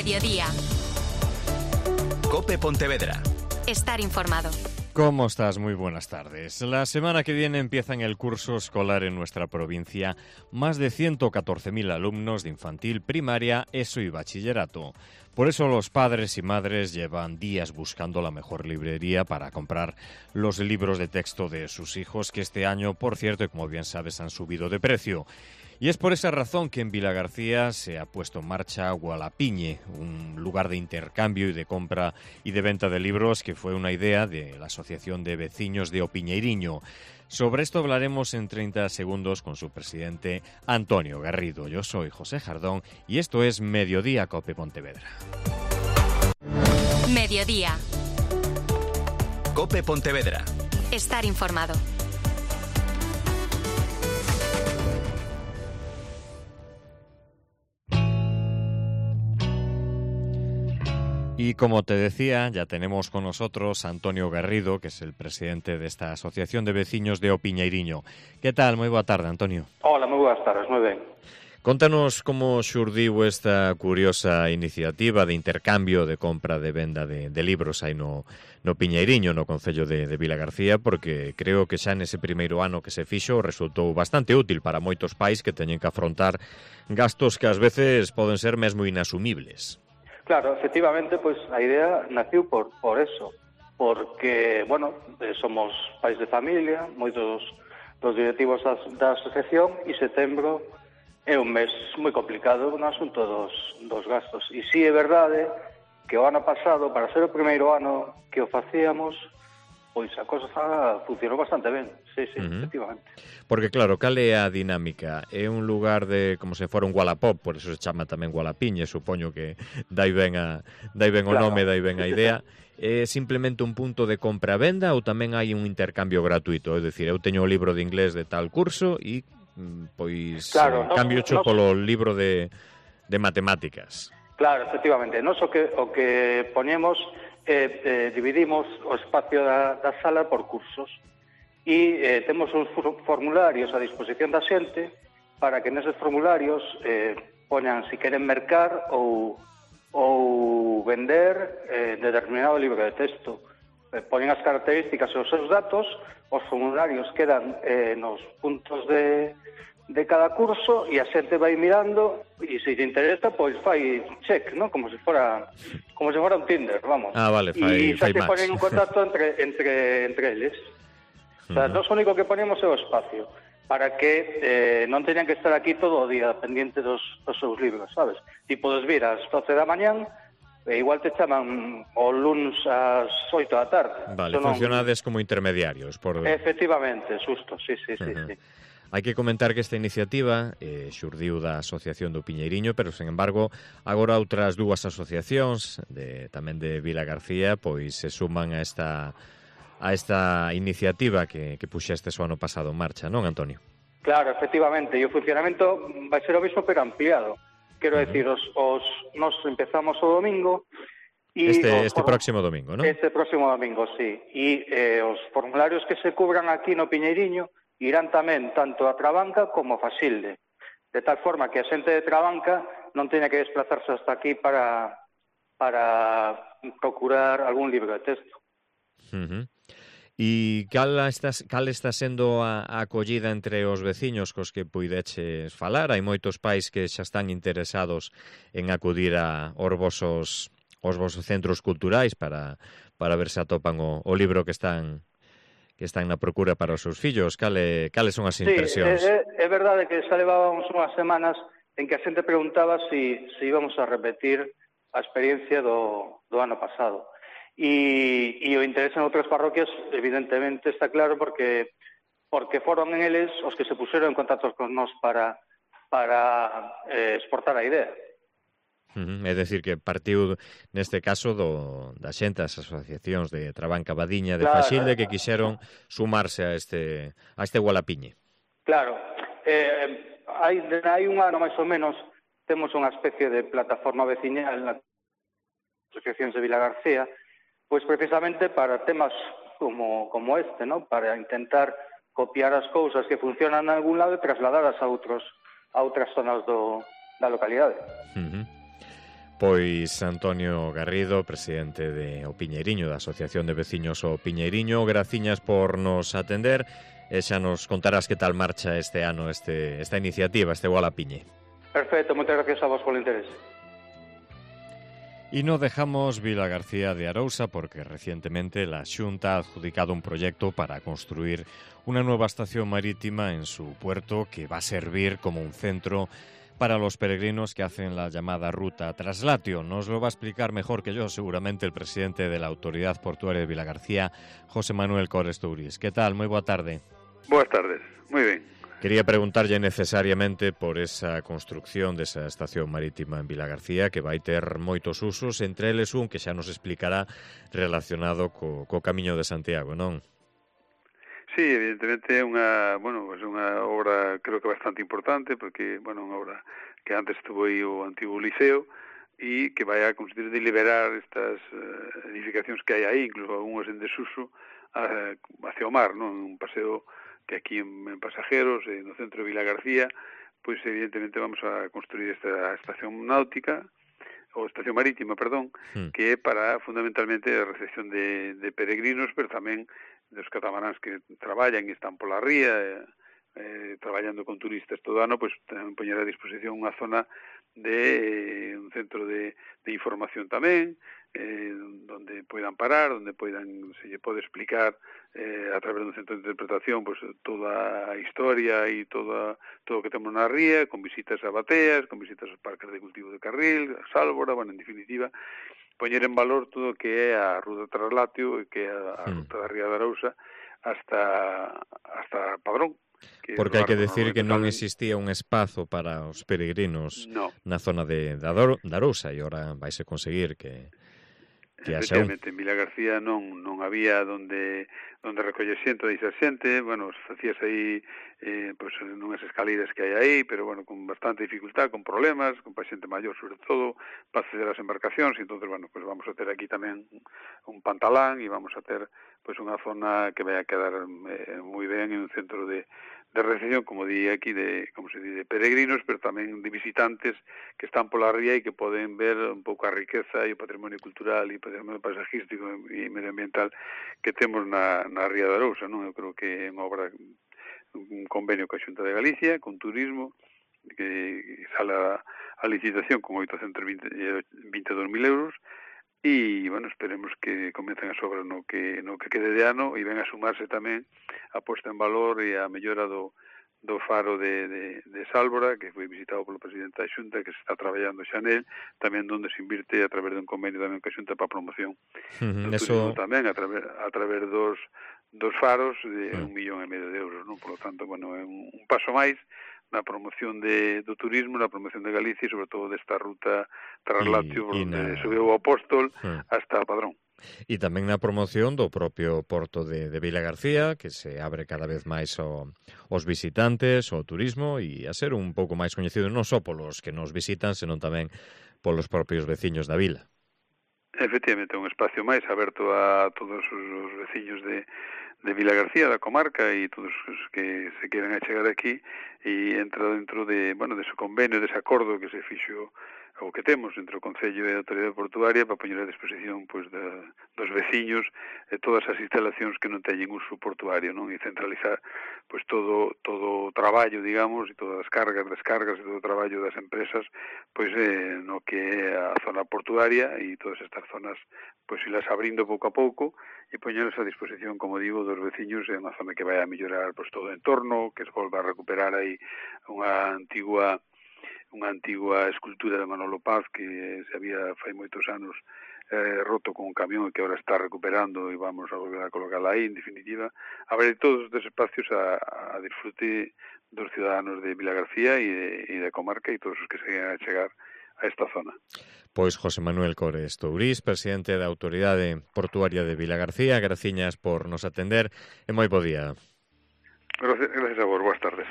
Mediodía. COPE Pontevedra. Estar informado. ¿Cómo estás? Muy buenas tardes. La semana que viene empiezan el curso escolar en nuestra provincia más de 114.000 alumnos de infantil, primaria, ESO y bachillerato. Por eso los padres y madres llevan días buscando la mejor librería para comprar los libros de texto de sus hijos, que este año, por cierto, y como bien sabes, han subido de precio. Y es por esa razón que en Vilagarcía se ha puesto en marcha Gualapiñe, un lugar de intercambio y de compra y de venta de libros que fue una idea de la Asociación de Veciños de O Piñeiriño. Sobre esto hablaremos en 30 segundos con su presidente Antonio Garrido. Yo soy José Jardón y esto es Mediodía COPE Pontevedra. Mediodía. COPE Pontevedra. Estar informado. Y como te decía, ya tenemos con nosotros a Antonio Garrido, que es el presidente de esta Asociación de Veciños de O Piñeiriño. ¿Qué tal? Moi boa tarde, Antonio. Hola, moi boas tardes, moi ben. Contanos como xurdiu esta curiosa iniciativa de intercambio, de compra, de venda de libros aí no Piñeiriño, no concello de Vilagarcía, porque creo que xa nese primeiro ano que se fixo resultou bastante útil para moitos pais que teñen que afrontar gastos que ás veces poden ser mesmo inasumibles. Claro, efectivamente, pois a idea naciu por eso, porque, bueno, somos pais de familia, moitos dos directivos da asociación, e setembro é un mes moi complicado no asunto dos gastos. E si é verdade que o ano pasado, para ser o primeiro ano que o facíamos, pois a cosa funcionou bastante ben, sí, efectivamente. Porque claro, cal é a dinámica? É un lugar de como se fora un Wallapop, por eso se chama tamén Gualapiñe, supoño que dai ben o nome, dai ben a idea. É simplemente un punto de compra-venda ou tamén hai un intercambio gratuito? É dicir, eu teño o libro de inglés de tal curso e pois cambio cho polo libro de matemáticas. Claro, efectivamente. Nos o que poñemos dividimos o espacio da sala por cursos e temos uns formularios a disposición da xente para que neses formularios poñan se queren mercar ou vender determinado libro de texto. Poñen as características e os seus datos, os formularios quedan nos puntos de cada curso e a xente vai mirando e se lle interesa, pois fai check, ¿no? Como se fora un Tinder, vamos. Ah, vale, fai match. E xa se match. ponen en contacto entre eles. O sea, nós o único que ponemos é o espacio para que non teñan que estar aquí todo o día pendiente dos seus libros, sabes? Ti podes vir ás 12 da mañán e igual te chaman o luns ás 8 da tarde. Vale, funcionades como intermediarios. Efectivamente, xusto, sí. Hai que comentar que esta iniciativa xurdiu da Asociación do Piñeiriño, pero, sen embargo, agora outras dúas asociacións tamén de Vilagarcía pois se suman a esta iniciativa que puxestes o ano pasado en marcha, non, Antonio? Claro, efectivamente, e o funcionamento vai ser o mismo pero ampliado. Quero decir, nos empezamos o domingo e este próximo domingo, non? Este próximo domingo, sí. E os formularios que se cubran aquí no Piñeiriño irán tamén tanto a Trabanca como a Faxilde, de tal forma que a xente de Trabanca non teña que desplazarse hasta aquí para procurar algún libro de texto. E cal está sendo a acollida entre os veciños cos que puideches falar? Hai moitos pais que xa están interesados en acudir aos vosos centros culturais para ver se atopan o libro que están na procura para os seus fillos. Cales son as impresións? Sí, é verdade que xa levábamos unhas semanas en que a xente preguntaba se íbamos a repetir a experiencia do ano pasado. E o interés en outras parroquias, evidentemente, está claro porque foron eles os que se puseron en contacto con nós para exportar a idea. É dicir, que partiu neste caso da xente, das asociacións de Trabanca, Badiña, de Faxilde, que quixeron sumarse a este Gualapiñe. Claro, hai un ano máis ou menos temos unha especie de plataforma veciñal nas asociacións de Vilagarcía, pois precisamente para temas como este, ¿no? Para intentar copiar as cousas que funcionan en algún lado e trasladadas a outras zonas da localidade. Pois Antonio Garrido, presidente de O Piñeiriño, da Asociación de Veciños O Piñeiriño, graciñas por nos atender e xa nos contarás que tal marcha este ano esta iniciativa, este Igual a Piñe. Perfecto, moitas gracias a vos polo interés. Y no dejamos Vilagarcía de Arousa porque recientemente la Xunta ha adjudicado un proyecto para construir una nueva estación marítima en su puerto que va a servir como un centro para los peregrinos que hacen la llamada ruta Traslatio. Nos lo va a explicar mejor que yo seguramente el presidente de la Autoridad Portuaria de Vilagarcía, José Manuel Cores Tourís. ¿Qué tal? Muy boa tarde. Boas tardes, moi ben. Quería preguntarlle necesariamente por esa construcción desa estación marítima en Vilagarcía que vai ter moitos usos, entre eles un que xa nos explicará relacionado co Camiño de Santiago, non? Sí, evidentemente é unha obra creo que bastante importante porque, unha obra que antes estuvo aí o antigo liceo e que vai a conseguir de liberar estas edificacións que hai aí, incluso algunhas en desuso hacia o mar, non? Un paseo que aquí en Pasajeros, no centro de Vilagarcía, pois evidentemente vamos a construir esta estación náutica, ou estación marítima, perdón, que é para fundamentalmente a recepción de peregrinos, pero tamén dos catamaráns que traballan e están pola ría, traballando con turistas todo ano, pois tamén poñer a disposición unha zona de un centro de información tamén, donde poidan parar, donde se lle pode explicar a través dun centro de interpretación pois toda a historia e todo o que temos na ría, con visitas a bateas, con visitas aos parques de cultivo de Carril, a Sálvora, en definitiva, poñer en valor todo o que é a ruta Traslatio e que é a ruta da Ría de Arousa hasta Padrón. Porque hai que decir que non existía un espazo para os peregrinos na zona de Arousa e agora vaise conseguir que efectivamente, en Vilagarcía non había onde recoller xente, deixar xente, facías aí nunhas escaleras que hai aí, pero con bastante dificultad, con problemas, con xente maior sobre todo, para acceder ás embarcacións, e entón, vamos a ter aquí tamén un pantalán e vamos a ter unha zona que vai a quedar moi ben en un centro de recepción, como di aquí, de peregrinos, pero tamén de visitantes que están pola ría e que poden ver un pouco a riqueza e o patrimonio cultural e o patrimonio paisajístico e medioambiental que temos na Ría de Arousa, non? Eu creo que é unha obra, un convenio coa Xunta de Galicia, con turismo, que sale a licitación con 822.000 euros, e, esperemos que comecen as obras no que quede de ano e ven a sumarse tamén a posta en valor e a mellora do faro de Sálvora, que foi visitado polo presidente da Xunta, que se está traballando xa nel, tamén onde se invirte a través dun convenio tamén coa Xunta para a promoción do turismo tamén, a través dos faros de 1,5 millón de euros, non? Por lo tanto, é un paso máis na promoción do turismo, na promoción de Galicia e sobre todo desta ruta Traslatio, onde subeu o Apóstol hasta Padrón. E tamén na promoción do propio porto de Vilagarcía, que se abre cada vez máis aos visitantes, ao turismo, e a ser un pouco máis coñecido non só polos que nos visitan, senón tamén polos propios veciños da vila. Efectivamente, un espacio máis aberto a todos os veciños de Vilagarcía, da comarca, e todos os que se queren achegar aquí, e entra dentro dese convenio, dese acordo que se fixo o que temos entre o Concello e a Autoridade Portuaria para poñer a disposición dos veciños todas as instalacións que non teñen uso portuario, non? E centralizar todo o traballo, digamos, e todas as cargas, descargas e todo o traballo das empresas no que é a zona portuaria, e todas estas zonas ilas abrindo pouco a pouco e poñerlas a disposición, como digo, dos veciños. É unha zona que vai a mellorar todo o entorno, que se volva a recuperar aí unha antigua escultura de Manolo Paz que se había fai moitos anos roto con un camión e que agora está recuperando e vamos a volver a colocarla aí. En definitiva, abrir todos estes espacios a disfrute dos ciudadanos de Vilagarcía e da comarca e todos os que se queran a chegar a esta zona. Pois José Manuel Cores Tourís, presidente da Autoridade Portuaria de Vilagarcía, graciñas por nos atender e moi bo día. Gracias a vos, boas tardes.